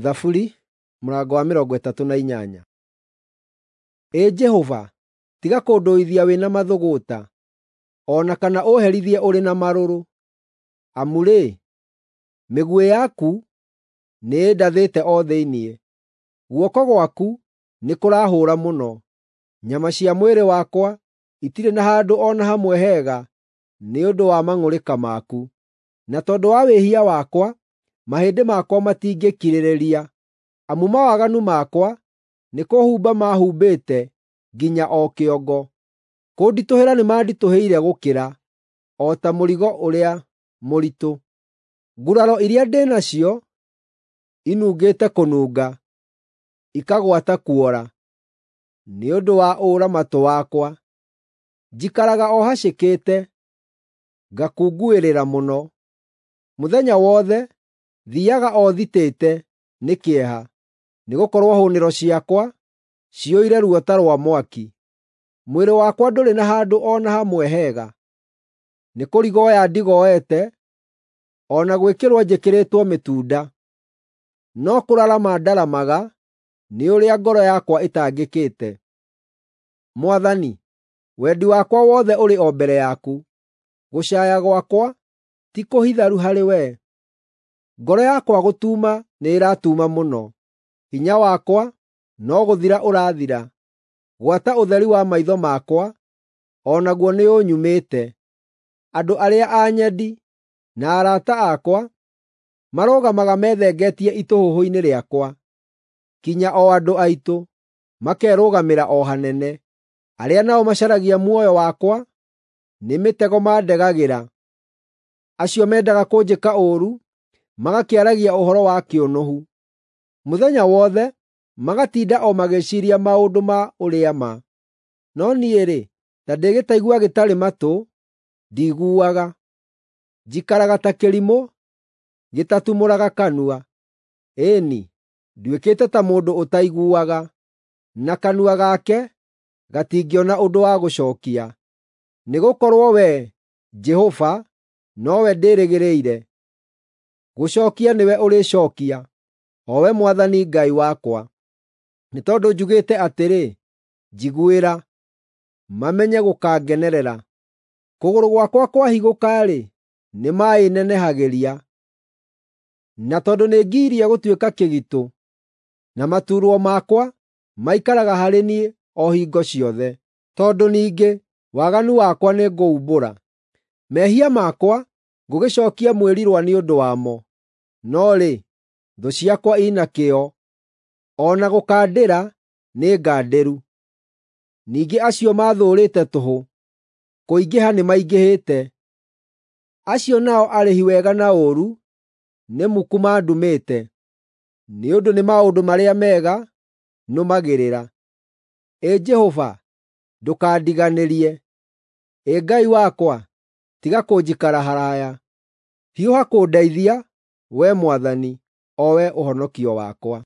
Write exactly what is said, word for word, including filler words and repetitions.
Thaburi mũrango wa mĩrongo ĩtatũ na inyanya. Ĩ Jehova, tiga kũndũithia wĩ na mathũgũta, o na kana ũũherithie ũrĩ na marũrũ. Amu-rĩ, mĩguĩ yaku nĩĩndathĩte o thĩinĩ, guoko gwaku nĩkũrahũũra mũno. Nyama cia mwĩrĩ wakwa itirĩ na handũ o na hamwe hega nĩ ũndũ wa mang'ũrĩka maku, na tondũ wa wĩhia wakwa mahĩndĩ makwa matingĩkirĩrĩria. Amu mawaganu makwa nĩkũhumba mahumbĩte nginya o kĩongo; kũnditũhĩra nĩmanditũhĩire gũkĩra, o ta mũrigo ũrĩa mũritũ. Nguraro iria ndĩ nacio inungĩte kũnunga, ikagwata kuora, nĩ ũndũ wa ũũra-matũ wakwa. Njikaraga o hacĩkĩte, ngakunguĩrĩra mũno. Mũthenya wothe thiiaga o thitĩte nĩ kĩeha, nĩgũkorwo hũnĩro ciakwa ciyũire ruo ta rwa mwaki. Mwĩrĩ wakwa ndũrĩ na handũ o na hamwe hega, nĩkũrigoya ndigoete, o na gwĩkĩrwo njĩkĩrĩtwo mĩtunda. No kũrarama ndaramaga nĩ ũrĩa ngoro yakwa ĩtangĩkĩte. Mwathani, wendi wakwa wothe ũrĩ o mbere yaku, gũcaaya gwakwa ti kũhitharu harĩwe. Ngoro yakwa gũtuuma nĩĩratuuma mũno, hinya wakwa no gũthira ũrathira, gwata ũtheri wa maitho makwa o naguo nĩũnyumĩte. Andũ arĩa anyendi na arata akwa marũgamaga methengetie itũhũhũ-inĩ rĩakwa, kinya o andũ aitũ makerũgamĩra o hanene. Arĩa nao macaragia muoyo wakwa nĩ mĩtego mandegagĩra, acio mendaga kũnjĩka ũũru magakĩaragia ũhoro wa kĩũnũhu. Mũthenya wothe magatinda o magĩciiria maũndũ ma ũrĩa-ma. No niĩ-rĩ, ta ndĩ gĩtaigua gĩtarĩ matũ, ndiguaga; njikaraga ta kĩrimũ gĩtatumũraga kanua. Ĩĩ-ni, nduĩkĩte ta mũndũ ũtaiguaga, na kanua gake gatingĩona ũndũ wa gũcookia. Nĩgũkorwo Wee, Jehova, nowe ndĩrĩgĩrĩire; gũcookia nĩwe ũrĩcookia, o we Mwathani Ngai wakwa. Nĩ tondũ njugĩte atĩrĩ, “Njiguĩra,” mamenye gũkangenerera. Kũgũrũ gwakwa kwahigũka-rĩ, nĩmaĩnenehagĩria. Na tondũ nĩngirie gũtuĩka kĩgitũ, na matuurwo makwa maikaraga harĩ niĩ o hingo ciothe. Tondũ ningĩ waganu wakwa nĩngũumbũra, mehia makwa ngũgĩcookia mwĩrirwa nĩ ũndũ wamo. No rĩ, thũ ciakwa i na kĩyo, o na gũkandĩra nĩ ngandĩru. Ningĩ acio maathũũrĩte tũhũ, kũingĩha nĩmaingĩhĩte; acio nao arĩhi wega na ũũru nĩ muku mandumĩte, nĩ ũndũ nĩ maũndũ marĩa mega nũmagĩrĩra. Ĩ Jehova, ndũkandiganĩrie; Ĩ Ngai wakwa, tiga kũnjikara haraaya. Hiũha kũndeithia, Wee Mwathani, o Wee ũhonokio wakwa.